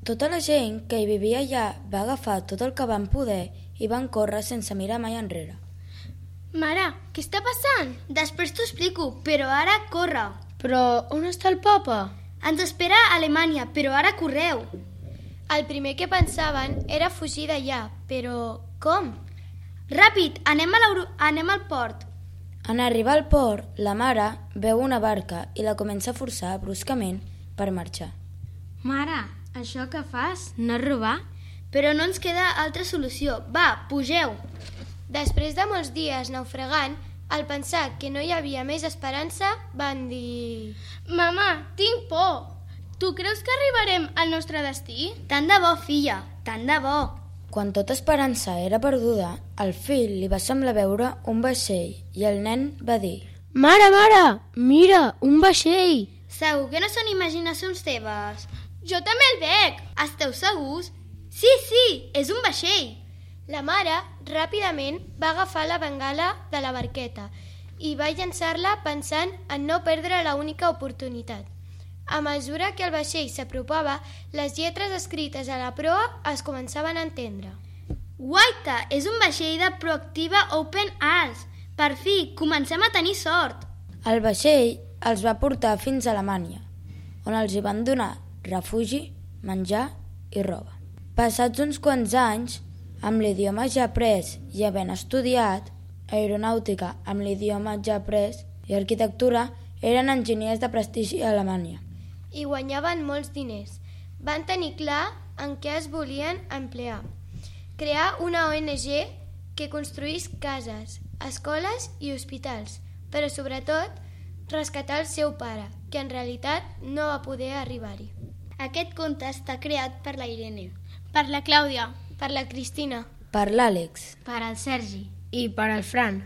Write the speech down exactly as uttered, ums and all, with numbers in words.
Tota la gent que hi vivia allà va agafar tot el que van poder i van córrer sense mirar mai enrere. Mare, què està passant? Després t'ho explico, però ara corre. Però on està el papa? Ens espera a Alemanya, però ara correu. El primer que pensaven era fugir d'allà, però com? Ràpid, anem, a anem al port. En arribar al port, la mare veu una barca i la comença a forçar bruscament per marxar. Mare, això que fas no és robar? Però no ens queda altra solució. Va, pugeu. Després de molts dies naufragant, al pensar que no hi havia més esperança, van dir... Mama, tinc por. Tu creus que arribarem al nostre destí? Tant de bo, filla, tant de bo. Quan tota esperança era perduda, al fill li va semblar veure un vaixell i el nen va dir: Mare, mare, mira, un vaixell. Segur que no són imaginacions teves? Jo també el veig. Esteu segurs? Sí, sí, és un vaixell. La mare ràpidament va agafar la bengala de la barqueta i va llançar-la pensant en no perdre l'única oportunitat. A mesura que el vaixell s'apropava, les lletres escrites a la proa es començaven a entendre. Guaita, és un vaixell de Proactiva Open Arms. Per fi, comencem a tenir sort. El vaixell els va portar fins a Alemanya, on els hi van donar refugi, menjar i roba. Passats uns quants anys, amb l'idioma ja après i havent estudiat aeronàutica amb l'idioma ja après i arquitectura, eren enginyers de prestigi a Alemanya. I guanyaven molts diners. Van tenir clar en què es volien emplear. Crear una O N G que construís cases, escoles i hospitals, però sobretot rescatar el seu pare, que en realitat no va poder arribar-hi. Aquest conte està creat per la Irene, Per la Clàudia. Per la Cristina. Per l'Àlex. Per al Sergi. I per al Fran.